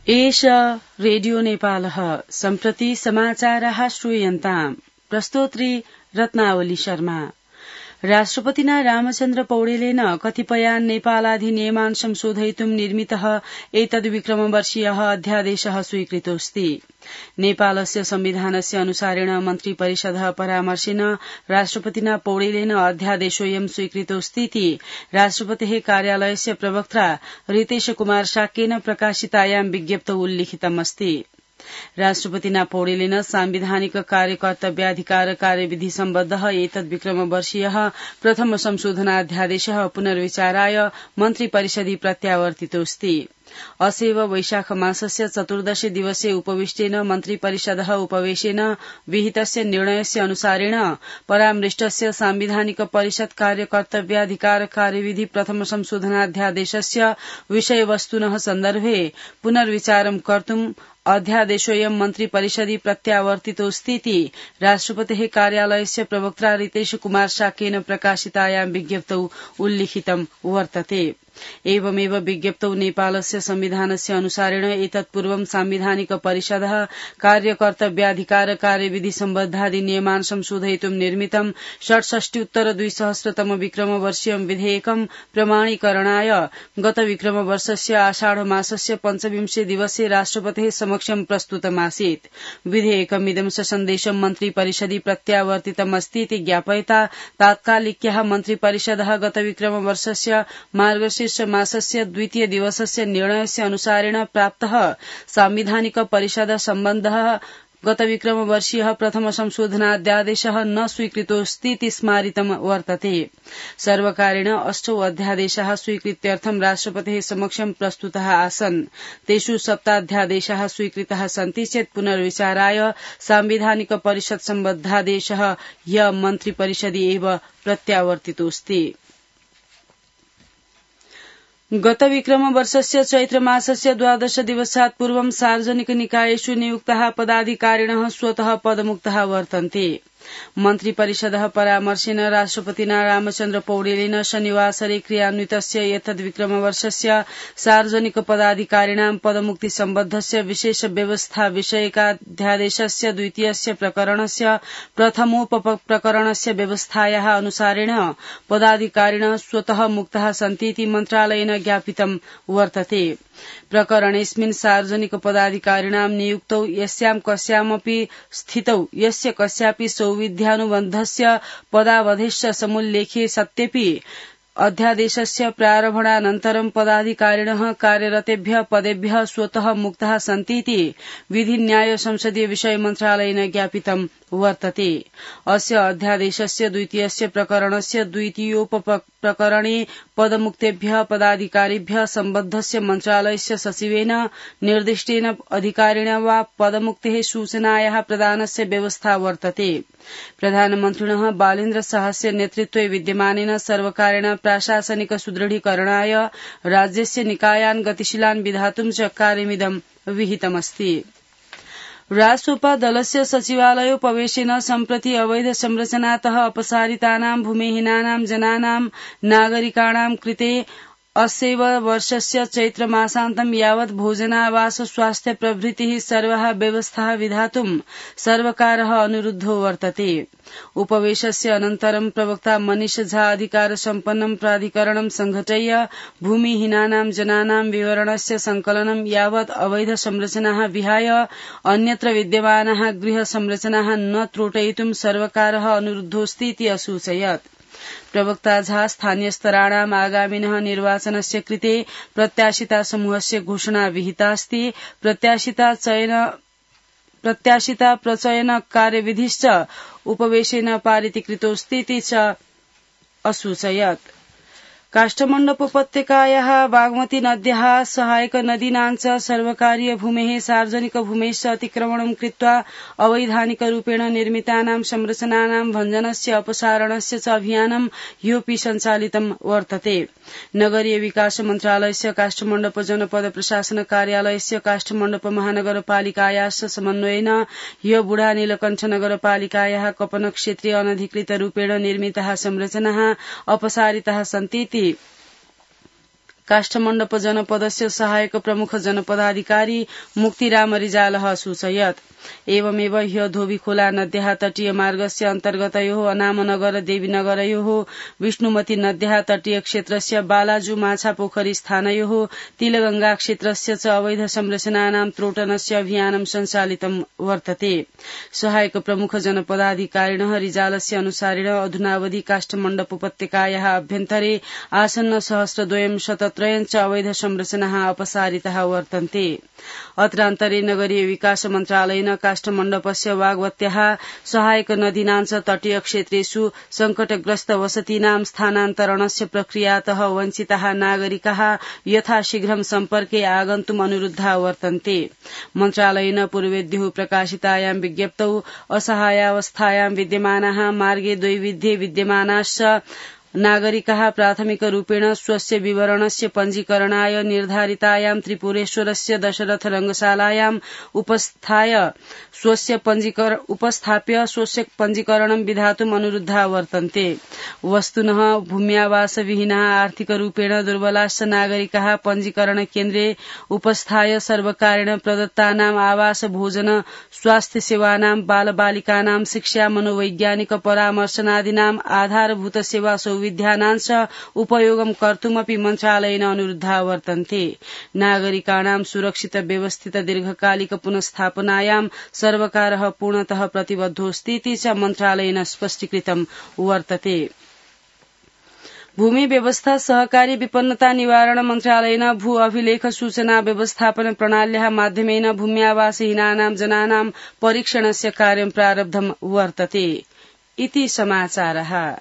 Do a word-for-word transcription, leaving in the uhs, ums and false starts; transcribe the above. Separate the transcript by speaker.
Speaker 1: एष रेडियो नेपालः सम्प्रति समाचाराः श्रूयन्ताम् प्रस्तोत्री रत्नावली शर्मा। राष्ट्रपतिना रामचन्द्र पौडेलेन कतिपयान् नेपालाधिनियमान् संशोधयितुं निर्मितः एतद्विक्रमवर्षीयः अध्यादेशः स्वीकृतोऽस्ति। नेपालस्य संविधानस्य अनुसारेण मन्त्रिपरिषदः परामर्शेन राष्ट्रपतिना पौडेलेन अध्यादेशोऽयं स्वीकृतोऽस्तीति राष्ट्रपतेः कार्यालयस्य प्रवक्ता रितेश कुमार शाक्येन प्रकाशितायां विज्ञप्तौ उल्लिखितमस्ति। राष्ट्रपतिना पौडेलेन सांविधानिक कार्यकर्तव्याधिकार कार्यविधि सम्बद्धः एतद्विक्रमवर्षीयः प्रथम संशोधनाध्यादेशः पुनर्विचाराय मन्त्रिपरिषदि प्रत्यावर्तितोऽस्ति। असेव वैशाख मासस्य चतुर्दश दिवसे उपविष्टेन मन्त्रिपरिषदः उपवेशेन विहितस्य निर्णयस्य अनुसारेण परामृष्टस्य सांविधानिक परिषद कार्यकर्तव्याधिकार कार्यविधि प्रथम संशोधनाध्यादेशस्य विषयवस्तुनः सन्दर्भे पुनर्विचारं कर्तुं अध्यादेशोऽयं मन्त्रिपरिषदि प्रत्यावर्तितोऽस्तीति राष्ट्रपतेः कार्यालयस्य प्रवक्ता रितेश कुमार शाक्येन प्रकाशितायां विज्ञप्तौ उल्लिखितं वर्तते। एवमेव विज्ञप्तौ नेपालस्य संविधानस्य अनुसारेण एतत्पूर्वं सांविधानिक परिषदः कार्यकर्तव्याधिकार कार्यविधि सम्बद्धाधिनियमान् संशोधयितुं निर्मितं षट्षष्ट्युत्तर द्विसहस्रतम विक्रमवर्षीयं विधेयकं प्रमाणीकरणाय गत विक्रमवर्षस्य आषाढ मासस्य पञ्चविंशे दिवसे राष्ट्रपतेः समक्षं प्रस्तुतमासीत्। विधेयकमिदं ससन्देशं मन्त्रिपरिषदि प्रत्यावर्तितमस्तीति ज्ञापयता तात्कालिक्यः मन्त्रिपरिषदः गत विक्रमवर्षस्य मार्गशीर्ष मासस्य द्वितीय दिवसस्य निर्णयस्य अनुसारेण प्राप्तः सांविधानिक परिषद सम्बन्धः गत विक्रमवर्षीयः प्रथम संशोधनाध्यादेशः न स्वीकृतोऽस्तीति स्मारितं वर्तते। सर्वकारेण अष्टौ अध्यादेशाः स्वीकृत्यर्थं राष्ट्रपतेः समक्षं प्रस्तुताः आसन्। तेषु सप्ताध्यादेशाः स्वीकृताः सन्ति चेत् पुनर्विचाराय सांविधानिक परिषद सम्बद्धादेशः ह्य मन्त्रिपरिषदि एव प्रत्यावर्तितोऽस्ति। गत विक्रमवर्षस्य चैत्रमासस्य द्वादश दिवसात् पूर्वं सार्वजनिक निकायेषु नियुक्ताः पदाधिकारिणः स्वतः पदमुक्ताः वर्तन्ते। मन्त्रिपरिषदः परामर्शेन राष्ट्रपतिना रामचन्द्र पौडेलेन शनिवासरे क्रियान्वितस्य एतद्विक्रमवर्षस्य सार्वजनिक पदाधिकारिणां पदमुक्ति सम्बद्धस्य विशेष व्यवस्था विषयकाध्यादेशस्य द्वितीयस्य प्रकरणस्य प्रथमोपप्रकरणस्य व्यवस्थायाः अनुसारेण पदाधिकारिणः स्वतः मुक्ताः सन्तीति मन्त्रालयेन ज्ञापितं वर्तते। प्रकरणेऽस्मिन् सार्वजनिक पदाधिकारिणां नियुक्तौ यस्यां कस्यामपि स्थितौ यस्य कस्यापि सौविध्यानुबन्धस्य पदावधिश्च समुल्लेखे सत्यपि अध्यादेशस्य प्रारम्भानन्तरं पदाधिकारिणः कार्यरतेभ्यः पदेभ्यः स्वतः मुक्ताः सन्तीति विधिन्याय संसदीय विषय मन्त्रालयेन ज्ञापितं वर्तते। अस्य अध्यादेशस्य द्वितीयस्य प्रकरणस्य द्वितीयोपप्रकरणे पदमुक्तेभ्यः पदाधिकारिभ्यः सम्बद्धस्य मन्त्रालयस्य सचिवेन निर्दिष्टेन अधिकारिणा वा पदमुक्तेः सूचनायाः प्रदानस्य व्यवस्था वर्तते। प्रधानमन्त्रिणः बालेन्द्र शाहस्य नेतृत्वे विद्यमानेन सर्वकारेण प्राशासनिक सुदृढीकरणाय राज्यस्य निकायान् गतिशीलान् विधातुं च कार्यमिदं विहितमस्ति। रासोपा दलस्य सचिवालयोपवेशेन सम्प्रति अवैध संरचनातः अपसारितानां भूमिहीनानां जनानां नागरिकाणां कृते अस्यैव वर्षस्य चैत्रमासान्तं यावत् भोजनावास स्वास्थ्य प्रभृतिः सर्वाः व्यवस्थाः विधातुं सर्वकारः अनुरुद्धो वर्तते। उपवेशस्य अनन्तरं प्रवक्ता मनीष झा अधिकार सम्पन्नं प्राधिकरणं संघटय्य भूमिहीनानां जनानां विवरणस्य संकलनं यावत् अवैध संरचनाः विहाय अन्यत्र विद्यमानाः गृह संरचनाः न त्रोटयितुं सर्वकारः अनुरुद्धोऽस्तीति असूचयत्। प्रवक्ता झा स्थानीयस्तराणाम् आगामिनः निर्वाचनस्य कृते प्रत्याशिता समूहस्य घोषणा विहितास्ति। प्रत्याशिता चयन प्रत्याशिता प्रचयन कार्यविधिश्च उपवेशेन पारितीकृतोऽस्तीति च असूचयत्। काष्ठमण्डपोपत्यकायाः बागमती नद्याः सहायक नदीनां च सर्वकारीय भूमेः सार्वजनिक भूमेश्च अतिक्रमणं कृत्वा अवैधानिकरूपेण निर्मितानां संरचनानां भञ्जनस्य अपसारणस्य च अभियानं ह्योऽपि सञ्चालितं वर्तते। नगरीय विकास मन्त्रालयस्य काष्ठमण्डप जनपद प्रशासन कार्यालयस्य काष्ठमण्डप महानगरपालिकायाश्च समन्वयेन ह्यो बुढा नीलकण्ठ नगरपालिकायाः कपन क्षेत्रे अनधिकृत रूपेण निर्मिताः संरचनाः अपसारिताः सन्तीति काष्ठमण्डप जनपदस्य सहायक प्रमुख जनपदाधिकारी मुक्तिराम रिजालः सूचयत्। एवमेव ह्य धोबीखोला नद्याः तटीय मार्गस्य अन्तर्गतयोः अनामनगर देवीनगरयोः विष्णुमती नद्याः तटीय क्षेत्रस्य बालाजु माछापोखरी स्थानयोः तिलगंगा क्षेत्रस्य च अवैध संरचनानां त्रोटनस्य अभियानं सञ्चालितं वर्तते। सहायक प्रमुख जनपदाधिकारिणः रिजालस्य अनुसारेण अधुनावधि काष्ठमण्डप उपत्यकायाः अभ्यन्तरे आसन्न सहस्रद्वयं शतत्रयं च अवैध संरचनाः अपसारिताः वर्तन्ते। अत्रान्तरे नगरीय विकास मन्त्रालयेन काष्ठमण्डपस्य वागवत्याः सहायक नदीनां च तटीय क्षेत्रेषु संकटग्रस्त वसतीनां स्थानान्तरणस्य प्रक्रियातः वञ्चिताः नागरिकाः यथाशीघ्रं सम्पर्के आगन्तुम् अनुरुद्धाः वर्तन्ते। मन्त्रालयेन पूर्वेद्युः प्रकाशितायां विज्ञप्तौ असहायावस्थायां विद्यमानाः मार्गे द्वैविध्ये विद्यमानाश्च नागरिकाः प्राथमिकरूपेण स्वस्य विवरणस्य पञ्जीकरणाय निर्धारितायां त्रिपुरेश्वरस्य दशरथ रङ्गशालायाम् उपस्थाय स्वस्य पञ्जीकर उपस्थाप्य स्वस्य पञ्जीकरणं विधातुम् अनुरुद्धाः वर्तन्ते। वस्तुनः भूम्यावासविहीनाः आर्थिकरूपेण दुर्बलाश्च नागरिकाः पञ्जीकरण केन्द्रे उपस्थाय सर्वकारेण प्रदत्तानाम् आवास भोजन स्वास्थ्य सेवानां बालबालिकानां शिक्षा मनोवैज्ञानिक परामर्शनादीनाम् आधारभूत सेवा विद्यानांश उपयोगं कर्तुमपि मन्त्रालयेन अनुरुद्धाः वर्तन्ते। नागरिकाणां सुरक्षित व्यवस्थित दीर्घकालिक पुनस्थापनायां सर्वकारः पूर्णतः प्रतिबद्धोऽस्ति इति च मन्त्रालयेन स्पष्टीकृतं वर्तते। भूमि व्यवस्था सहकारी विपन्नता निवारण मन्त्रालयेन भू अभिलेख सूचना व्यवस्थापन प्रणाल्याः माध्यमेन भूम्यावासहीनानां जनानां परीक्षणस्य कार्यं प्रारब्धं वर्तते इति समाचारः।